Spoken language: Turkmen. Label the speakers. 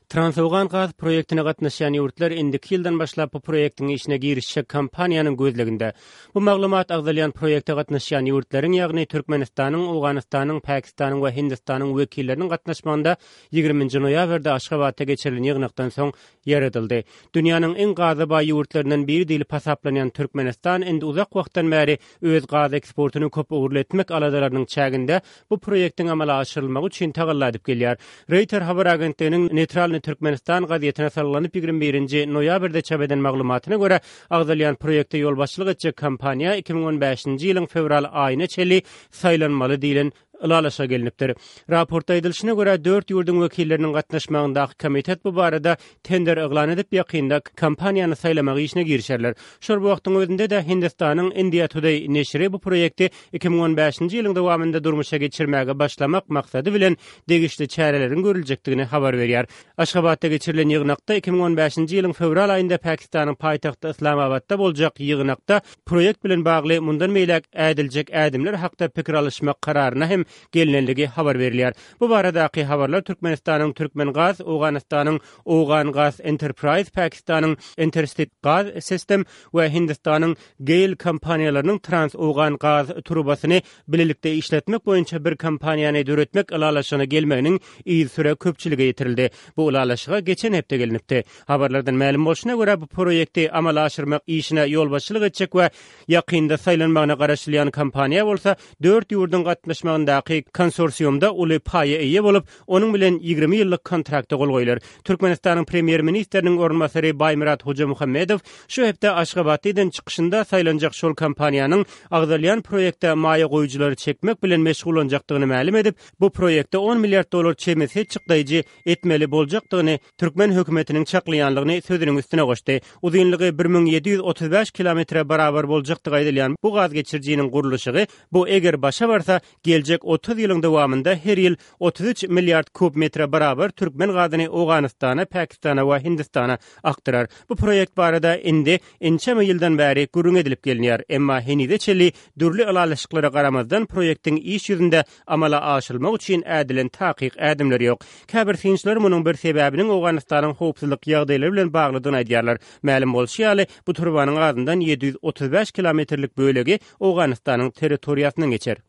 Speaker 1: Transowgan gaz proýektine gatnaşýan ýurtlar indiki ýyldan başlap bu proýektiň işine girişjek kompaniýanyň gözleginde. Bu maglumat agzalýan proýekte gatnaşýan ýurtlaryň, ýagny Türkmenistanyň, Owganystanyň, Pakistanyň we Hindistanyň wekilleriniň gatnaşmagynda ýigriminji noýabrda Aşgabatda geçirilen ýygnakdan soň ýaradyldy. Dünýäniň iň gaza baý ýurtlaryndan biri diýlip hasaplanýan Türkmenistan indi uzak wagtdan bäri öz gaz eksportyny köp ugurly etmek aladalarynyň çäginde bu proýektiň amala aşyrylmagy üçin tagalla edip gelýär. Reýter habar agentliginiň Neýtralnyý Türkmenistan gazetine salgylanyp 21-nji noýabrda çap eden maglumatyna görä, agzalýan proýekte ýolbaşçylyk etjek kompaniýa 2015-nji ýylyň fewral aýyna çenli saýlanmaly diýlen ylalaşyga gelnipdir. Raportda aýdylyşyna görä, dört ýurduň wekilleriniň gatnaşmagyndaky komitet bu barada tender yglan edip, ýakynda kompaniýany saýlamak işine girişerler. Şol bir wagtyň özünde-de, Hindistanyň India Today neşiri bu proýekti 2015-nji ýylyň dowamynda durmuşa geçirmäge başlamak maksady bilen degişli çäreleriň görüljekdigini habar berýär. Aşgabatda geçirilen ýygnakda 2015-nji ýylyň fewral aýynda Pakistanyň paýtagty Yslamabatda boljak ýygnakda proýekt bilen bagly mundan beýläk ädiljek ädimler hakda pikir alyşmak kararyna hem gelnenligi habar berilýär. Bu baradaky habarlar Türkmenistanyň Türkmengaz, Owganystanyň Owgangaz Enterprise, Pakistanyň Interstate Gaz System we Hindistanyň GAIL kompaniýalarynyň Trans-Owgan gaz turbasyny bilelikde işletmek boýunça bir kompaniýany döretmek ylalaşygyna gelmeginiň yzysüre köpçülige ýetirildi. Bu ylalaşyga geçen hepde gelnipdi. Habarlardan mälim bolşuna görä, bu proýekti amala aşyrmak işine ýolbaşçylyk etjek we ýakynda saýlanmagyna garaşylýan kompaniýa bolsa dört ýurduň gatnaşmagyndaky konsorsiumda uly paýa eýe bolup, onuň bilen 20 ýyllyk kontrakta gol goýlar. Türkmenistanyň Premýer-ministriniň orunbasary Baýmyrat Hojamuhammedow şu hepde Aşgabatda eden çykyşynda saýlanjak şol kompaniýanyň agzalýan proýekte maýa goýujylary çekmek bilen meşgullanjakdygyny mälim edip, bu proýekte on milliard dollar çemesi çykdaýjy etmeli boljakdygyny türkmen hökümetiniň çaklaýanlygyny sözüniň üstüne goşdy. Uzynlygy 1735 kilometre barabar boljakdygy aýdylýan bu gaz geçirijiniň gurluşygy bu eger başa barsa, geljek 30 ýylyň dowamynda her ýyl 33 milliard kub metre barabar türkmen gazyny Owganystana, Pakistana we Hindistana akdyrar. Bu proýekt barada indi ençeme ýyldan bäri gürrüň edilip gelinýär, emma henize çenli dürli ylalaşyklara garamazdan proýektiň iş ýüzünde amala aşyrylmagy üçin ädilen takyk ädimler ýok. Käbir synçylar munuň bir sebäbiniň Owganystanyň howpsuzlyk ýagdaýlary bilen baglydygyny aýdýarlar. Mälim bolşy ýaly, bu turbanyň azyndan 735 kilometrlik bölegi Owganystanyň territoriýasyndan geçer.